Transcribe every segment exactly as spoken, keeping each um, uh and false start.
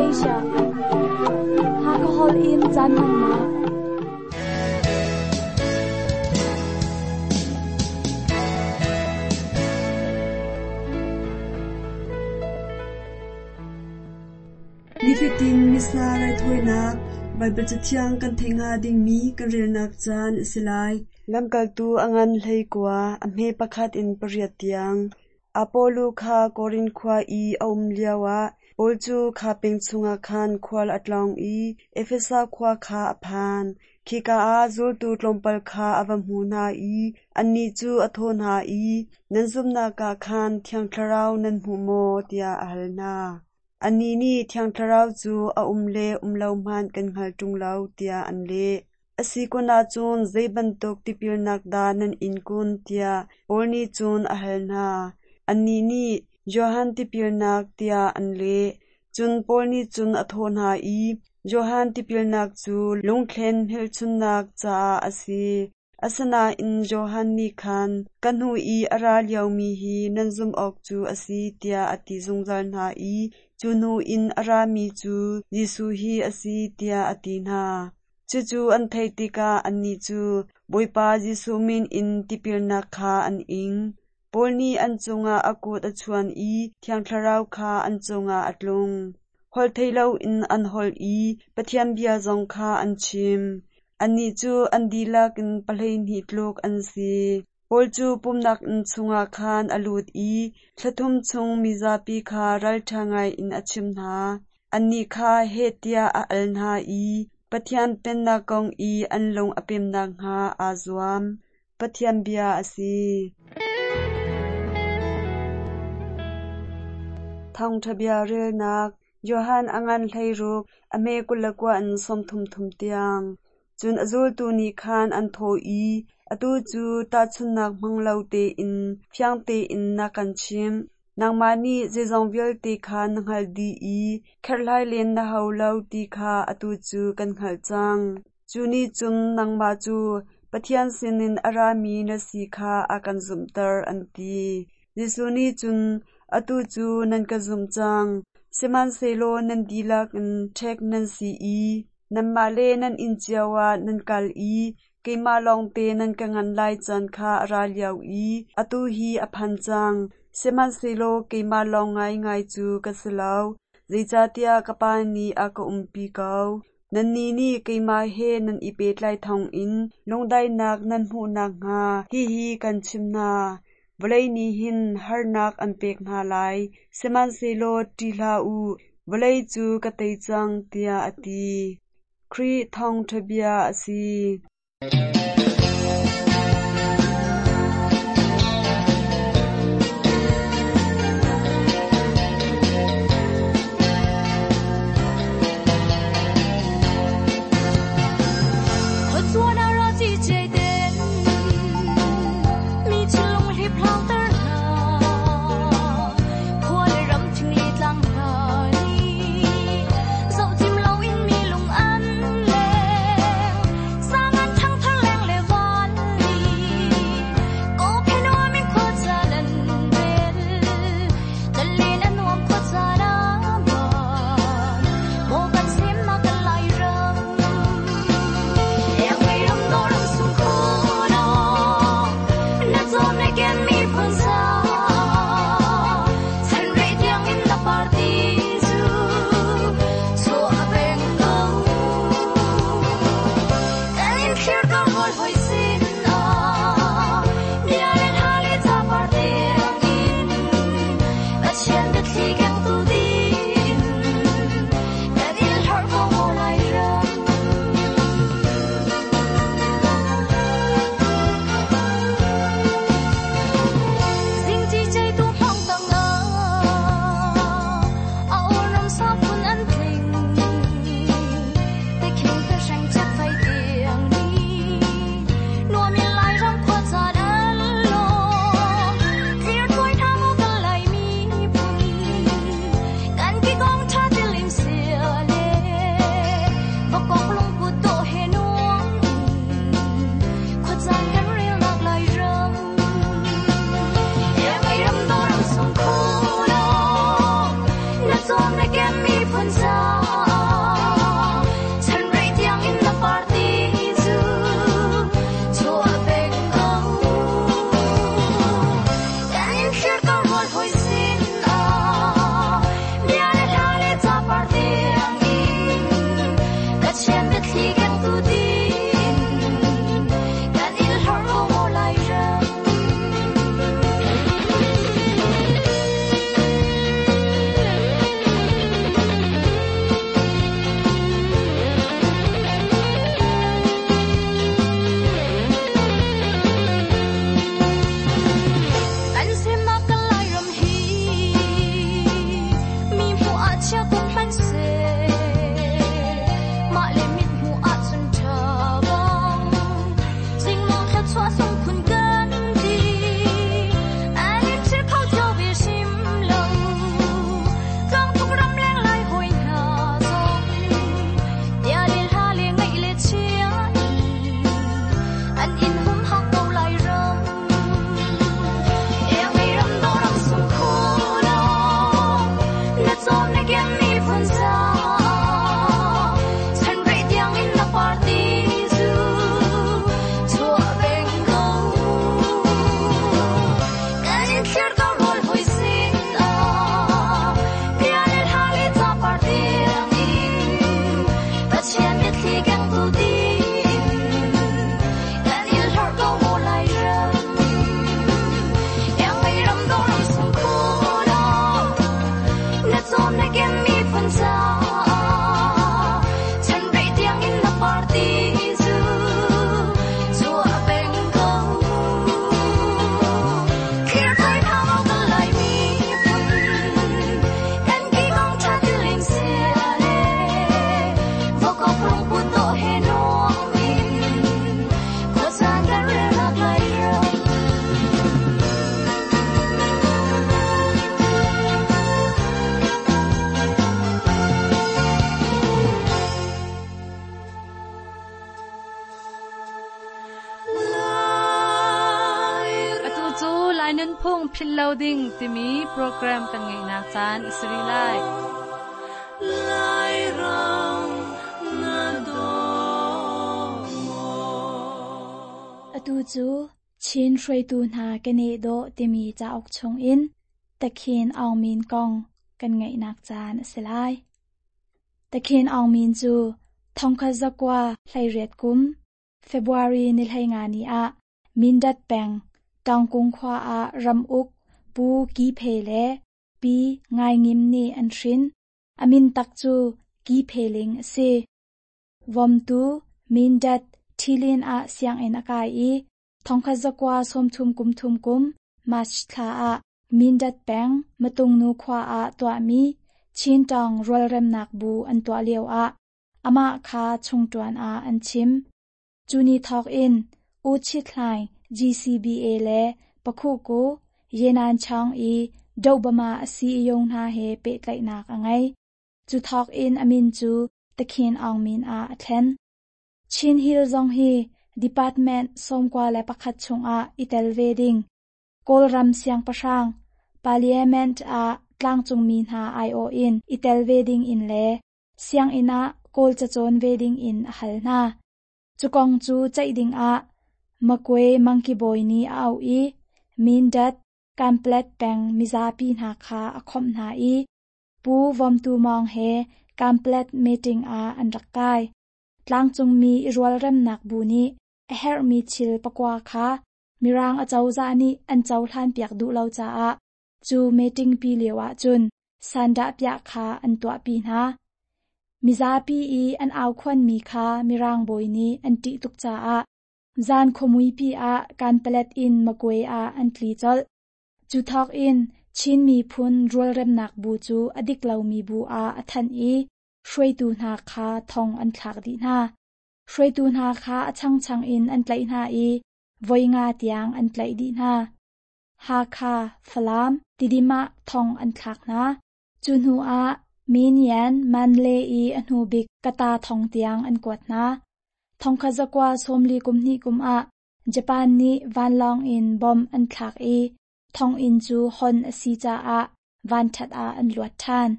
Asia. Hakahol in caan hmannak. Nifatin Missa raithawinak Baibal Cathiang kan theih hnga dingmi kan relnak caan a si lai. Lamkaltu a ngan hleikua, a hme pakhat in pariat tiang. Apollo kha Korin khua i a um lioah Paul cu kha peng chungah khan khual a tlawng i Efesa khua kha a phan. Khika ah zultu tlawmpal kha a va hmu hna i annih cu a thawh hna i, “Nan zumhnak ah khan Thiang Thlarau nan hmu maw?” tiah a hal hna. Annih nih Thiang Thlarau cu a um le um lo hmanh kan hngal ṭung lo, tiah an leh. A si kun ahcun zei bantuk tipilnak dah nan in kun tiah Paul nih cun a hal hna. Annih nih, “Johan tipilnak,” tiah an leh. Cun Paul nih cun a thawh hna i, “Johan tipilnak cu lungthlen hmelchunhnak caah a si. Asinain Johan nih khan ka hnu i a ra liomi hi nan zumh awk cu a si tiah a ti zungzal hna i cu hnu in a rami cu Jesuh hi a si tiah a ti hna. Cucu an theih tikah annih cu Bawipa Jesuh min in tipilnak kha an ing. Paul nih an cungah a kut a chuan i Thiang Thlarau kha an cungah a tlung. Holh theih loin an holh i Pathian bia zong kha an chim. Annih cu an dihlak in pahleihnih tluk an si. Paul cu pumhnak inn chungah khan a lut i thla thum chung mizapi kha ralṭha ngaiin a chimh hna. Annih kha heh tiah a al hna i Pathian Pennak kong i an lung a pem nakhnga aa zuam. Pathian bia a si. Thawngṭha bia relnak Johan a ngan hleiruk, a hme kul le kua in sawmthum thum tiang. Cun a zultu nih khan an thawh i, “Atu cu tahchunhnak hmang lo tein fiang tein na kan chimh. Nangmah nih zeizong vialte kha na hngalh dih i kherhhlai len na hau lo ti kha atu cu kan hngalh cang. Cu nih cun nangmah cu Pathian sinin a rami na si kha a kan zumhter,” an ti. Jesuh nih cun, “Atu cu nan ka zumh cang. Sihmanhsehlaw nan dihlak in ṭhek nan si i nanmah le nan inn cio ah nan kal i keimah lawngte nan ka nganh lai caan kha a ra lio i atu hi a phan cang. Sihmanhsehlaw keimah lawng ngaingai cu ka si lo, zeicahtiah ka Pa nih a ka umpi ko. Nannih nih keimah he nan i pehtlai thawngin lungdaihnak nan hmuh nakhnga hihi kan chimh hna. Vawlei nih hin harnak an pek hna lai, sihmanhsehlaw ṭih hlah u, vawlei cu ka tei cang,” tiah a ti. Khrih thawngṭha bia a si. Sang an thang thar leng Philloading timi program kan ngai nak caan asiri lai. Lai ram na do mo. Atu cu Chin hruaitu hna kane do timi cauk chung in Takhin Aung Min kong kan ngai nak caan asi lai. Takhin Aung Min cu thongkhat zakwa hlei riat kum February ni hlei nga ni a Mindat peng Tangkung khwa a ram uk pu ki phe le pi ngai ngim ni an hrin amin tak chu ki phe ling ase vom tu Mindat thilin a siang in akai i thongkhat zakwa somthum kum thum kum March thla a Mindat peng matung nu khwa a twa mi Chin tong rual rem nak bu an twa leo a ama kha chung tuan a an chim chuni thok in u chit hlai G C B A le pakhu ko yenan chang i dobama asi yong na he pe tlai nak angai chu thok in amin chu Takhin Aung Min a athlen Chin Hill zong hi department somkwa le pakhat chunga itel wedding Kawlram siang pasang parliament a tlangchung mi hna I O in itel wedding in le siang ina kawl chachon wedding in a hal na chukong chu chaiding a makwe monkey boy ni au i Mindat kamplet peng mizapi hna kha a khom hna i pu vom tu mong he kamplet meeting a an rakkai tlangchung mi rual rem nak bu ni a her mi chil pakwa kha mirang a chawza ni an chaw hlan piak du lo cha a chu meeting pi lewa chun sanda pya kha an twa pi na mizapi i an aw khwan mi kha mirang boy ni an ti tuk cha a zan khomui pi a kan palet in makwe a an tli chol chu thok in Chin mi phun rual rem nak bu chu adik lo mi bu a athan i hruai tu hna kha thong an thlak di na hruai tu hna kha achang chang in an tlai hna i voi nga tiang an tlai di na ha kha falam tidima thong an thlak na chu hnu a minian manle i ahnu bik kata thong tiang an kwat na thong kha zakwa somli kumni kum a Japan ni van long in bom an thlak i thong in chu hon asi cha a van that a an luat than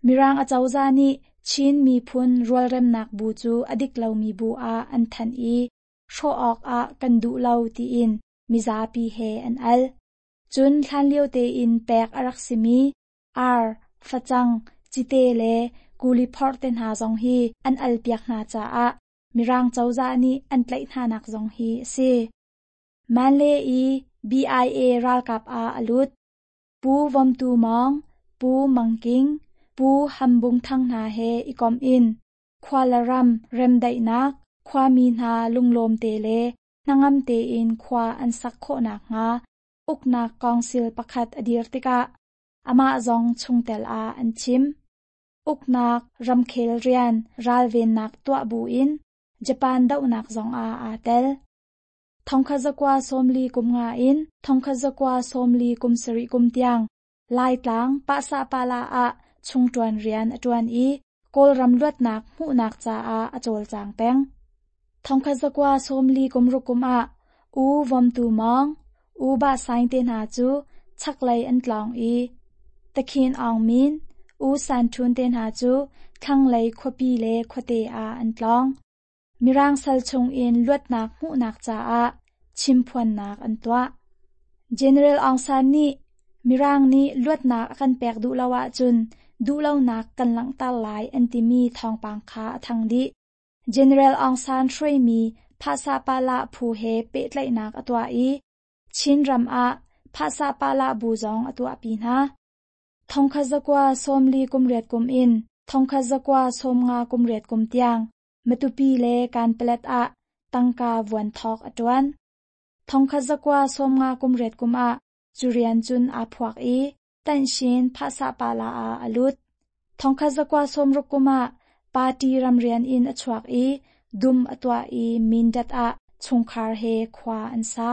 Mirang acozah nih Chin miphun rualremnak bu cu a dik lomi bu ah an thanh i hrawh awkah kan duh lo tiin mizapi he an al. Cun hlanlio tein pek a rak simi ar, facang, cite le kuli phorh te hna zong hi an al piak hna caah Mirang cozah nih an tlaih hnanak zong hi a si. Manle i B I A ralkap ah a lut. Pu Vomtu Mawng, Pu Mangking, Pu Hambung Thang hna he i kom in khua le ram remdaihnak, khuami hna lunglawm te le hnangam tein khua an sak khawhnak hnga uknak council pakhat a dir tikah amah zong chungtel ah an chim. Uknak ramkhel rian ralvennak tuah bu in Japan dohnak zong ah aa tel. Thongkhat zakua sawmli kum nga in thongkhat zakua sawmli kum sarih kum tiang Laitlang Pahsa Pala ah chungṭuan rian a ṭuan i Kawlram luatnak hmuhnak caah a cawlcang peng. Thongkhat zakua sawmli kum ruk kum ah U Vomtu Mawng, U Ba Saing te hna cu chaklei an tlawng i Takhin Aung Min, U San Htun te hna cu thlanglei khuapi le khuate ah an tlawng. Mirang sal chungin luatnak hmuhnak caah chimphuannak an tuah. General Aung San nih Mirang nih luatnak a kan pek duh lo ahcun duhlonak kan langhter lai an timi thawngpang kha a thang dih. General Aung San hruaimi Phahsa Pala phu he pehtlaihnak a tuah i Chin ram ah Phahsa Pala bu zong a tuahpi hna. Thongkhat zakua sawmli kum riat kum in thongkhat zakua sawmnga kum riat kum tiang Matupi le Kanpalet ah tangka vuan thawk a ṭuan. Thongkhat zakua sawmnga kum riat kum ah cu rian cun aa phuak i Tanshin Phahsa Pala ah a lut. Thongkhat zakua sawmruk kum ah party ramrian in a chuak i dum a tuah i Mindat ah chungkhar he khua an sa.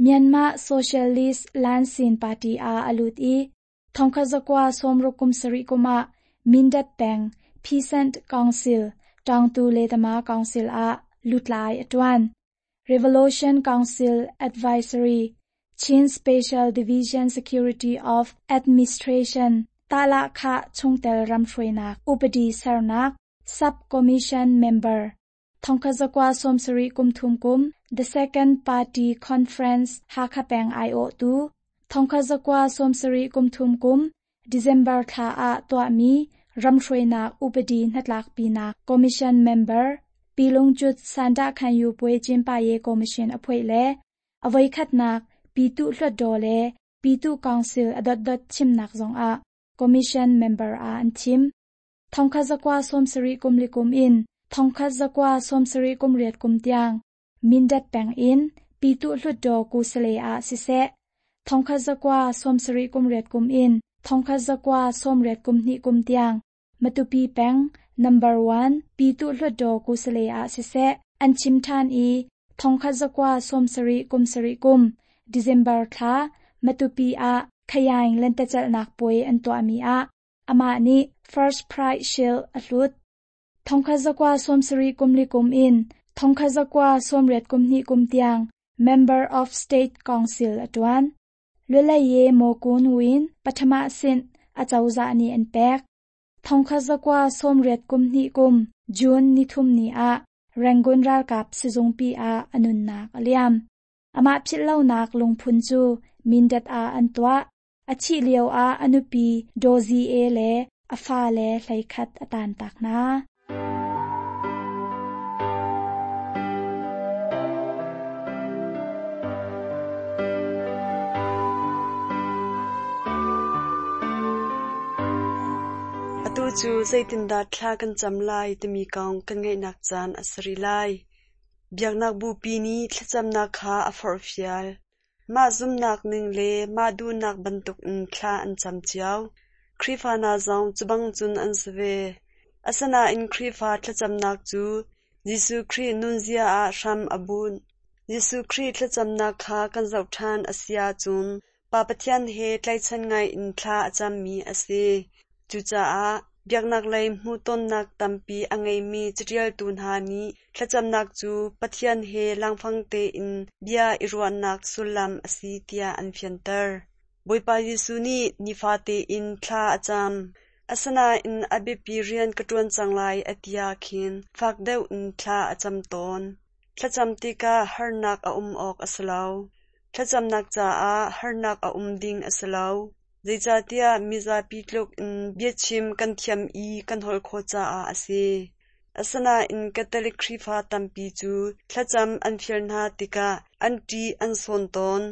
Myanmar Socialist Lansin Party ah a lut i thongkhat zakua sawmruk kum sarih kum ah Mindat peng Peasant Council Tawngtu Letama Council ah lutlai a ṭuan. Revolution Council Advisory Chin Special Division Security of Administration Tala Kha Chungtel Ramhruainak Upadi Sernak Sub Commission Member Thongkhat zakua sawmsarih kum thum kum The Second Party Conference Hakha Peng ai awh tu Thongkhat zakua sawmsarih kum thum kum December thla ah tuahmi Ramhruainak Upadi Hnatlakpinak Commission Member Pilungcut Sanda Khanyu Pwe Chinpa Ye Commission a phuai le avoi khatnak Pitu Hluttaw le Pitu Council a dotdot chimnak zong ah Commission Member ah an thim. Thongkhat zakua sawmsarih kum li kum in thongkhat zakua sawmsarih kum riat kum tiang Mindat peng in Pitu Hluttaw Kusale ah siseh thongkhat zakua sawmsarih kum riat kum in thongkhat zakua sawmriat kum hnih kum tiang Matupi peng number one Pitu Hluttaw Kusale ah siseh an chim ṭhan i thongkhat zakua sawmsarih kum sarih kum December thla Matupi ah Khayaing lentecalhnak puai an tuahmi ah amah nih First Prize Shield a hlut. Thongkhat zakua sawmsarih kum li kum in thongkhat zakua sawmriat kum hnih kum tiang Member of State Council a ṭuan. Lulaye Mokun Win pathama sin acozah nih an pek. Thongkhat zakua sawmriat kum hnih kum June ni thum ni ah Rangoon ralkap sizungpi ah a nunnak a liam. Amah philhlonak lungphun cu Mindat ah an tuah. A thih lio ah a nupi Dozi E le a fa le hleikhat a tantak hna. Atu cu zeitindah thla kan cam lai timi kong kan ngaihnak caan a si rih lai. Biaknak bupi nih thlacamnak kha a forhfial. Mah zumnak ning le mah duhnak bantukin thla an cam cio. Khrihfa hna zong cu bang cun an si ve. Asinain Khrihfa thlacamnak cu Jesuh Khrih nunzia ah hram a bunh. Jesuh Khrih thlacamnak kha kan zoh ṭhan a si ahcun Pa Pathian he tlaihchan ngaiin thla a cammi a si. Cucaah biaknak lei hmuhtonnak tampi a ngeimi caṭialtu hna nih thlacamnak cu Pathian he langfang tein bia i ruahnak sullam a si tiah an fianter. Bawipa Jesuh nih nifa tein thla a cam. Asinain a biapi rian ka ṭuan cang lai a ti ah khin fak deuh in thla a cam tawn. Thlacam tikah harnak a um awk a si lo. Thlacamnak caah harnak a um ding a si lo. Zeicahtiah mizapi tluk in biachim kan thiam i kan holh khawh caah a si. Asinain Catholic Khrihfa tampi cu thlacam an fial hna tikah an ṭih an sawn tawn.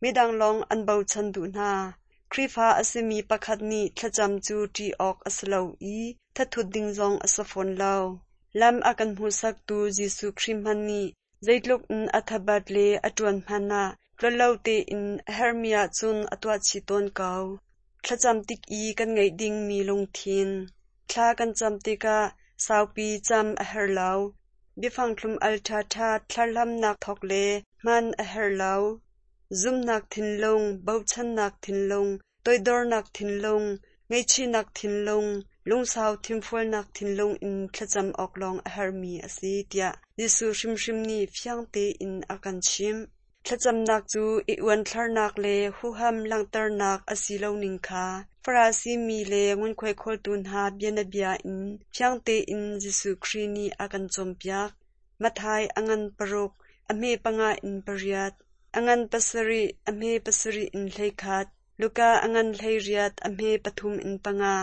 Midang lawng an bochan duh hna. Khrihfa a simi pakhat nih thlacam cu ṭih awk a si lo i thathut ding zong a si fawn lo. Lam a kan hmuhsaktu Jesuh Khrih hmanh nih zeitluk in a thabat le a ṭuan hmanh ah tlollo tein a herhmi ahcun a tuah chih tawn ko. Thlacam tik i kan ngeih dingmi lungthin. Thla kan cam tikah saupi cam a herh lo. Biafang thlum al ṭhaṭha thlarhlamnak thawk le hman a herh lo. Zumnak thinlung, bochannak thinlung, toidornak thinlung, ngaihchihnak thinlung, lungsau thinfualnak thinlung in thlacam awk lawng a herhmi a si tiah Jesuh hrimhrim nih fiang tein a kan chimh. Thlacamnak cu i uanthlarnak le huham langhternak a si lo ning kha Farasi mi le ngunkhuai khawltu hna bianabia in fiang tein Jesuh Khrih nih a kan cawnpiak. Matthai a ngan paruk, a hme panga in pariat, a ngan pasarih, a hme pasarih in hleikhat, Luka a ngan hleiriat, a hme pathum in panga,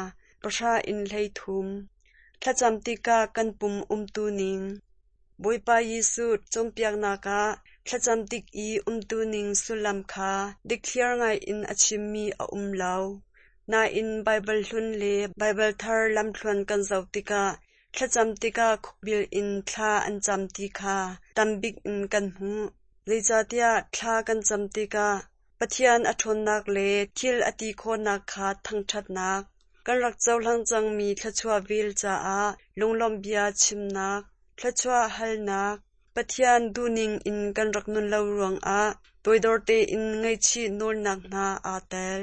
pahra in hleithum. Thlacam tikah kan pum umtu ning. Bawipa Jesuh cawnpiaknak ah thlacam tik i umtu ning sullam kha dikthliar ngaiin a chimmi a um lo. Nain Baibal hlun le Baibal thar lamthluan kan zoh tikah thlacam tikah khukbil in thla an cam ti kha tambik in kan hmuh. Zeicahtiah thla kan cam tikah Pathian a ṭhawnnak le thil a ti khawhnak kha thangṭhatnak, kan rak cohlang cangmi thluachuah vel caah lunglawmh bia chimnak, thluachuah halnak, Pathian duhning in kan rak nun lo ruangah toidor tein ngaihchih nawlnak hna aa tel.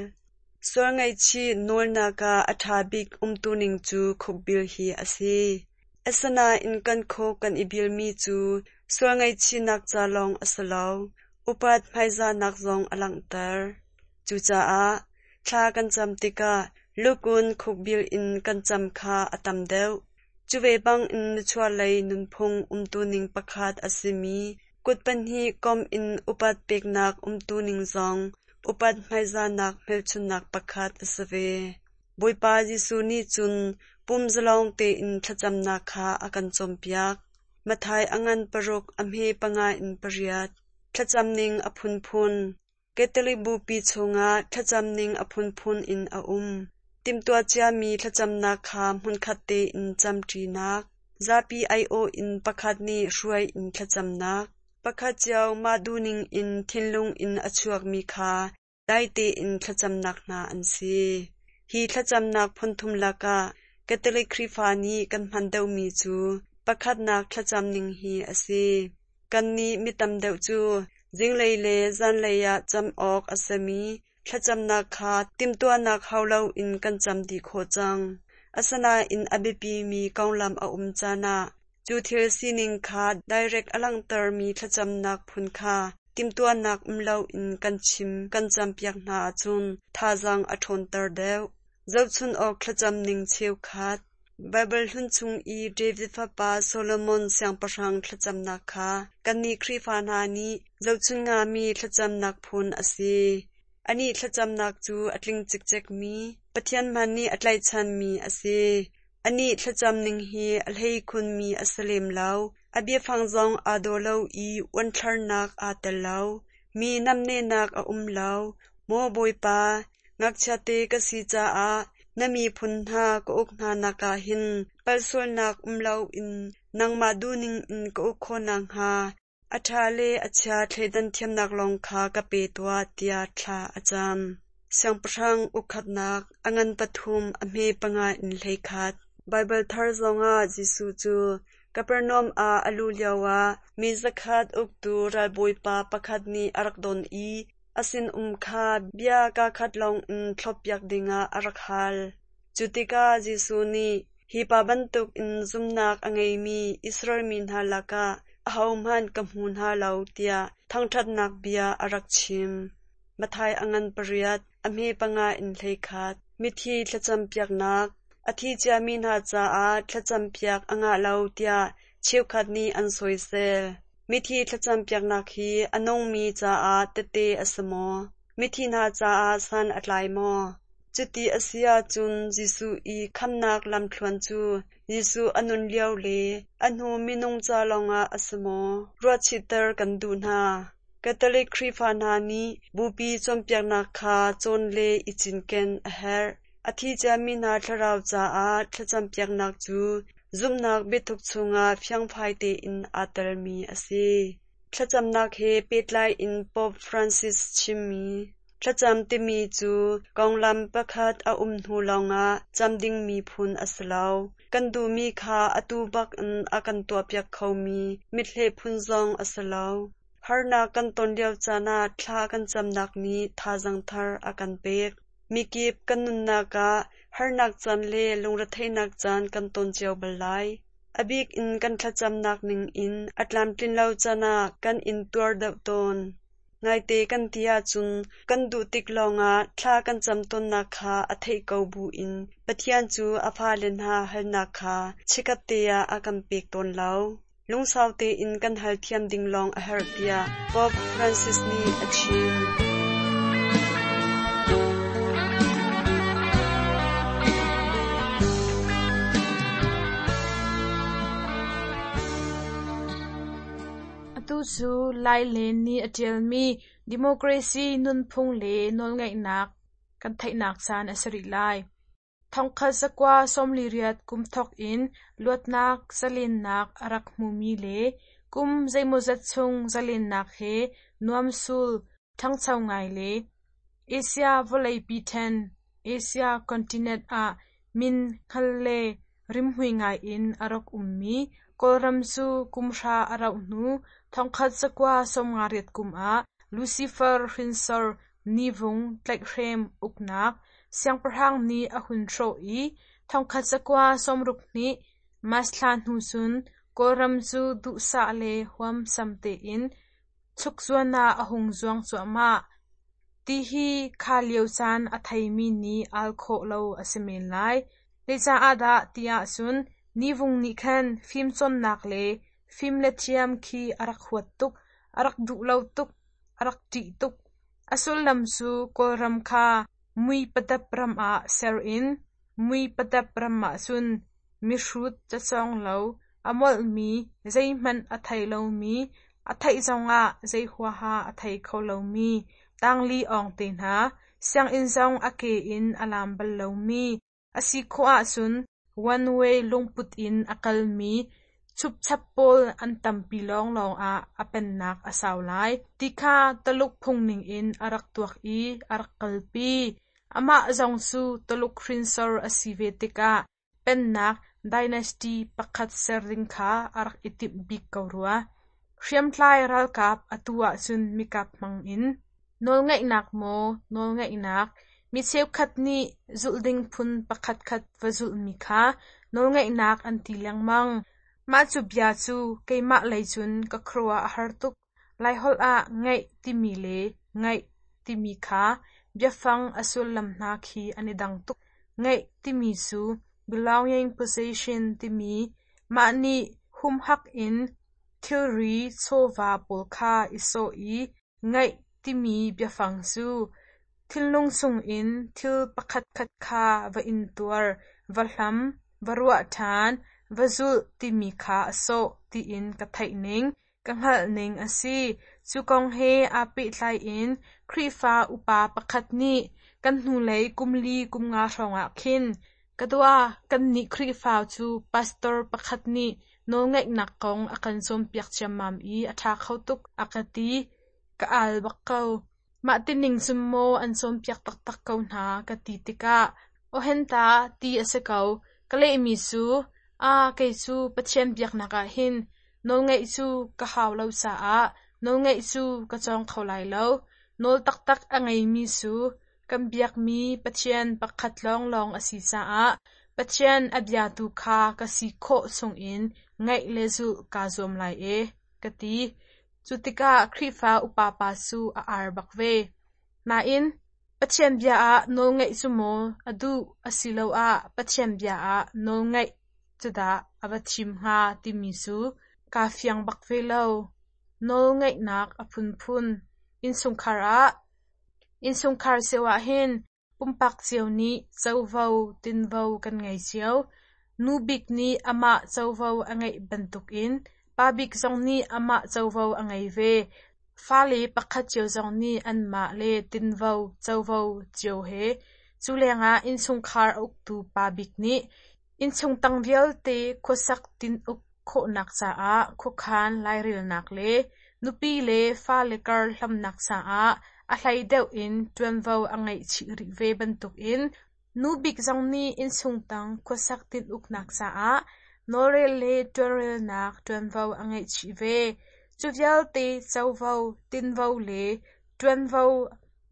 Sual ngaihchih nawlnak ah a ṭha bik umtuning cu khukbil hi a si. Asinain kan khuk kan i bilmi cu sual ngaihchihnak ca lawng a si lo, upat hmaizahnak zong a langhter. Cucaah thla kan cam tikah lukun khukbil in kan cam kha a tam deuh. Cu ve bangin nichuahlei nunphung umtuning pakhat a simi kut pahnih kom in upat peknak umtuning zong upat hmaizahnak hmelchunhnak pakhat a si ve. Bawipa Jesuh nih cun pum zalong tein thlacamnak kha a kan cawnpiak. Matthai a ngan paruk a hme panga in pariat. Thlacam ning a phunphun. Catholic bupi chungah thlacam ning a phunphun in a um. Timhtuah ciami thlacamnak kha hmunkhat tein camṭinak, zapi aiawh in pakhat nih hruai in thlacamnak, pakhat cio mah duhning in thinlung in a chuakmi kha dai tein thlacamnak hna an si. Hi thlacamnak phunthum lakah Catholic Khrihfa nih kan hman deuhmi cu pakhatnak thlacam ning hi a si. Kannih mi tam deuh cu zinglei le zanlei ah cam awk a simi thlacamnak kha timhtuahnak hau loin kan cam dih khawh cang. Asinain a biapimi konglam a um caan ah cu thil sining kha direct a langhtermi thlacamnak phun kha timhtuahnak um loin kan chim kan campiak hna ahcun thazaang a ṭhawnter deuh. Zohchun awk thlacam ning cheukhat. Baibal hlun chung i David fapa Solomon siangpahrang thlacamnak kha kannih Khrihfa hna nih zohchun ngami thlacamnak phun a si. Anih thlacamnak cu a tling cikcekmi, Pathian hmanh nih a tlaihchanmi a si. Anih thlacam ning hi a hleikhunmi a si lem lo. A biafang zong aa daw lo i uanthlarnak aa tel lo. Mi namnehnak a um lo. Maw Bawipa, ngakchiate ka si caah na miphun hna ka uk hna nak ah hin palsualnak um loin nangmah duhning in ka uk khawh nakhnga a ṭha le a chia thleidan thiamnak lawng kha ka pe tuah tiah thla a cam. Siangpahrang ukkhatnak a ngan pathum a hme panga in hleikhat. Baibal thar zongah Jesuh cu Kapernaum ah a luh lioah mi zakhat uktu ralbawipa pakhat nih a rak don i a sinum kha bia kaakhat lawngin thloppiak dingah a rak hal. Cu tikah Jesuh nih hi pa bantukin zumhnak a ngeimi Israel mi hna lakah ahohmanh ka hmu hna lo tiah thangṭhatnak bia a rak chim. Matthai a ngan pariat, a hme panga in hleikhat. Mithi thlacampiaknak. A thi ciami hna caah thlacampiak a ngah lo tiah cheukhat nih an soisel. Mithi thlacampiaknak hi a nungmi caah tehte a si maw? Mithi hna caah san a tlai maw? Cuti a si ahcun Jesuh i khamhnak lamthluan cu Jesuh a nun lio le a hnu minung ca lawngah a si maw? Ruahchihter kan duh hna. Catholic Khrihfa hna nih Bupi cawnpiaknak kha cawn le i cinken a herh. A thi ciami hna thlarau caah thlacampiaknak cu zumhnak biathuk chungah fiangfai tein aa telmi a si. Thlacamnak he pehtlai in Pope Francis chimmi thlacam timi cu konglam pakhat a um hnu lawngah cam dingmi phun a si lo. Kan duhmi kha atu bak in a kan tuahpiak khomi mithleh phun zong a si lo. Harnak kan ton lio caan ah thla kan camnak nih thazaang thar a kan pek. Mikip kan nunnak ah harnak caan le lungretheihnak caan kan ton cio bal lai. A bik in kan thlacamnak ning in a tlamtlin lo caan ah kan in tuar deuh tawn. Ngaite kan ti ahcun kan duh tik lawngah thla kan cam tawnnak kha a theih ko buin Pathian cu a fale hna halnak kha chikkhat te ah a kan pek tawn lo. Lungsau tein kan hal thiam ding lawng a herh tiah Pope Francis nih a chim. Atu cu Lailen nih a ṭialmi Democracy nunphung le nawlngeihnak kan theihnak caan a si rih lai. Thongkhat zakua sawmli riat kum thawk in luatnak zalennak a rak hmumi le kum zeimawzat chung zalennak he nuamsul ṭhangcho ngai le Asia vawleipi ṭhen Asia continent ah min hngal le rimhmui ngai in a rak ummi Kawlram cu kum hra a rauh hnu thongkhat zakua sawmnga riat kum ah Lucifer hrinsor Nivung tlaihhrem uknak siangpahrang nih a hun hrawh i thongkhat zakua sawmruk hnih March thla hnu cun Kawlram cu duhsah le huamsam tein chukzuan ah a hung zuang cuahmah. Ti hi kha lio caan a theimi nih al khawh lo a si men lai. Zeicah dah tiah cun Nivung nih khan fimcawnnak le fim le thiam khi a rak huat tuk, a rak duh lo tuk, a rak ṭih tuk. A sullam cu Kawlram kha mui padap ram ah ser in mui padap ram ah cun mihrut cacawng lo, a molhmi, zeihmanh a thei lomi, a theih zongah zei huaha a thei kho lomi, tangli awng te hna, sianginn zong a ke in a lam bal lomi, a si khawh ahcun one way lungput in a kalmi chupchap pawl an tampi lawnglawng ah a pennak a sau lai. Ti kha Taluk phung ningin a rak tuak i a rak kalpi. Amah zong cu Taluk hrinsor a si ve tikah pennak dynasty pakhat ser ding kha a rak i timh bik ko rua. Hriamtlai ralkap atu ahcun mikap hmang in nawlngeihnak maw nawlngeihnak mi cheukhat nih zulh ding phun pakhatkhat va zulhmi kha nawlngeihnak an ti lengmang. Mah cu bia cu keimah lei cun ka khuaruah a har tuk. Laiholh ah ngeih timi le ngaih timi kha biafang a sullam hna khi an i dang tuk. Ngeih timi cu belonging possession timi mah nih humhak in thilri chawva pawl kha i sawh i ngaih timi biafang cu thinlung chungin thil pakhatkhat kha va intuar, va hlam, va ruah ṭhan, va zulh timi kha a sawh tiin ka theih ning, ka hngalh ning a si. Cu kong he aa pehtlai in Khrihfa upa pakhat nih kan hnulei kumli kumnga hrawngah khin ka dua kannih Khrihfa cu pastor pakhat nih nawlngeihnak kong a kan cawnpiak ciammam i a ṭha kho tuk a ka ti. Ka al bak ko. Mah tining cun maw an cawnpiak taktak ko hna ka ti tikah ohenta ti a si ko. Ka lehmi cu aa kei cu Pathian biaknak ah hin nawlngeih cu ka hau lo caah nawlngeih cu ka cawng kho lai lo. Nawl taktak a ngeimi cu kan biakmi Pathian pakhat lawnglawng a si caah Pathian a biatu kha ka si khawh chungin ngaih le zulh kaa zuam lai e, ka ti. Cu tikah Khrihfa upa pa cu a ar bak ve. Nain Pathian bia ah nawlngaih cu maw a duh asiloah Pathian bia ah nawlngaih cu dah a va thim hnga timi cu kaa fiang bak ve lo. Nawlngaihnak a phunphun. Innchungkhar ah Innchungkhar cio ahhin pumpak cio nih covo tinvo kan ngei cio. Nu bik nih amah covo a ngeih bantukin pa bik zong nih amah covo a ngei ve. Fale pakhat cio zong nih anmah le tinvo covo cio he. Cu lengah innchungkhar a uktu pa bik nih innchung tang vialte khuasak tin-uk khawhnak caah khuakhan lairelnak le nupi le fale kar hlamnak caah a hlei deuh in ṭuanvo a ngeih chih rih ve bantukin nu bik zong nih innchung tang khuasak tin-uknak caah nawlrel le ṭuanrelnak ṭuanvo a ngeih chih ve. Cu vialte covo, tinvo le ṭuanvo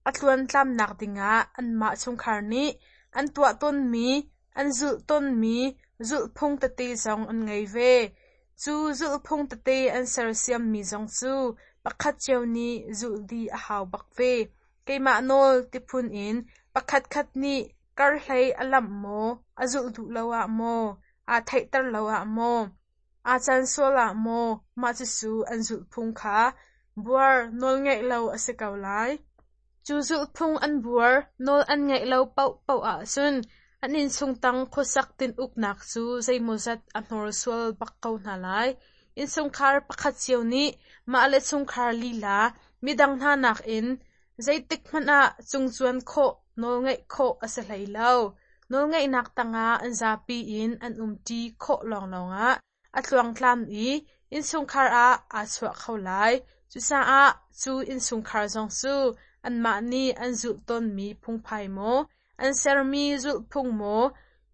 a tluantlamnak dingah anmah chungkhar nih an tuah tawnmi, an zulh tawnmi zulhphung tete zong an ngei ve. Cu zulhphung tete an sersiammi zong cu pakhat cio nih zulh dih a hau bak ve. Keimah nawl tiphun in pakhatkhat nih karhlei a lamh maw, a zulh duh lo ah maw, aa theihter lo ah maw, aa can sual ah maw, mah cucu an zulhphung kha buar nawlngaih lo a si ko lai. Cu zulhphung an buar nawl an ngaih lo paohpaoh ahcun an innchung tang khuasak tin-uknak cu zeimawzat a hnorsual bak ko hna lai. Innchungkhar pakhat cio nih mah le chungkhar lila midang hna nakin zeitik hmanh ah cungcuan khawh nawlngaih khawh a si hlei lo. Nawlngaihnak tangah an zapi in an umṭi khawh lawnglawng ah a tluangtlam i innchungkhar ah aa chuah kho lai. Cucaah cu innchungkhar zong cu anmah nih an zulh tawnmi phungphai maw, an sermi zulhphung maw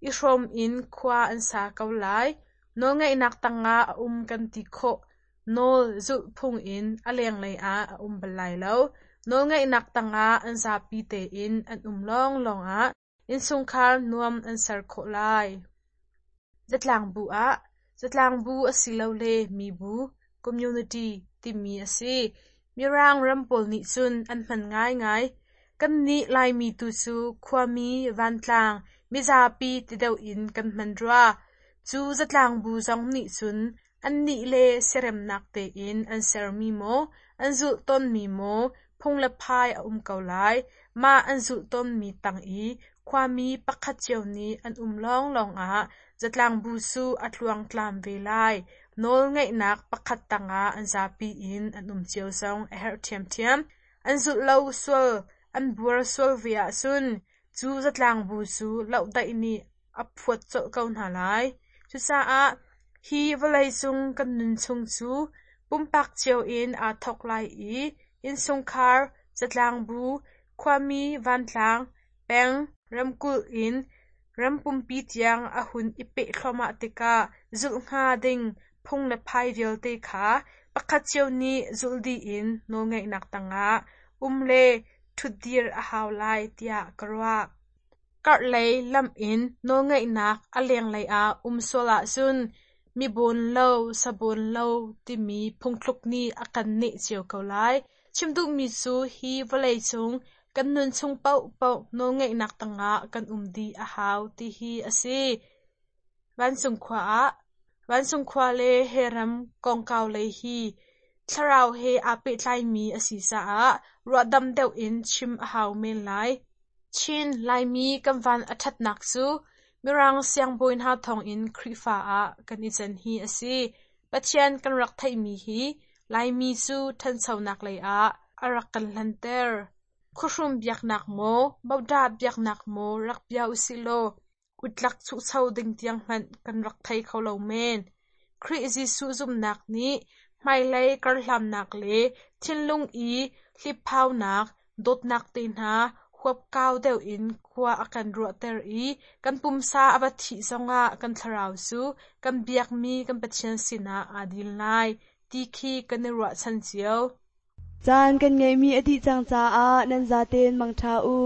i hrawm in khua an sa ko lai. Nawlngaihnak tangah a um kan ti khawh. Nawl zulhphung in a lenglei ah a um bal lai lo. Nawlngaihnak tangah an zapi tein an um lawnglawng ah innchungkhar nuam an ser khawh lai. Zatlangbu ah Zatlangbu asilole mibu (community) timi a si. Mirang ram pawl nih cun an hman ngaingai. Kannih Laimi tu cu khuami, vantlang, mizapi ti deuh in kan hman rua. Cu zatlangbu zong nih cun annih le siaremnak tein an sermi maw, an zulh tawnmi maw phung le phai a um ko lai. Mah an zulh tawnmi tang i khuami pakhat cio nih an um lawnglawng ah zatlangbu cu a tluangtlam ve lai. Nawlngeihnak pakhat tangah an zapi in an um cio zong a herh ṭhiamṭhiam. An zulh lo sual, an buar sual ve ahcun cu zatlangbu cu lohdaih nih a phuat colh ko hna lai. Cucaah hi vawleicung kan nun chung cu pumpak cio in aa thawk lai i innchungkhar, zatlangbu, khuami vantlang, peng, ramkulh in ram pumpi tiang a hun i peh thluahmah tikah zulh hnga ding phung le phai vialte kha pakhat cio nih zulh dih in nawlngeihnak tangah um le ṭhutdir a hau lai tiah ka ruah. Karhlei lamh in nawlngeihnak a lenglei ah um sual ahcun mi bawn lo, sa bawn lo timi phungthluk nih a kan neh cio ko lai. Chim duhmi cu hi vawleicung kan nun chung paohpaoh nawlngeihnak tangah kan um dih a hau ti hi a si. Vancung khua ah Vancung khua le he ram kongkau lei hi thlarau he aa pehtlaimi a si caah ruahdam deuh in chim a hau men lai. Chin Laimi kan van a ṭhatnak cu Mirang siangbawi hna thawngin Khrihfa ah kan i can hi a si. Pathian kan rak theihmi hi Laimi cu ṭhanchonak lei ah a rak kan hlanter. Khuahrum biaknak maw, bodah biaknak maw rak bia usih law utlak chuhcho ding tiang hmanh kan rak thei kho lo men. Khrih Jesuh zumhnak nih hmailei karhlamnak le thinlung i hliphaunak, dawtnak te hna huapkau deuh in khua a kan ruahter i kan pumsa a va thih zongah kan thlarau cu kan biakmi kan Pathian sinah aa dil lai ti khi kan i ruahchan cio. Caan kan ngeihmi a dih cang caah nan zaten mangṭha u.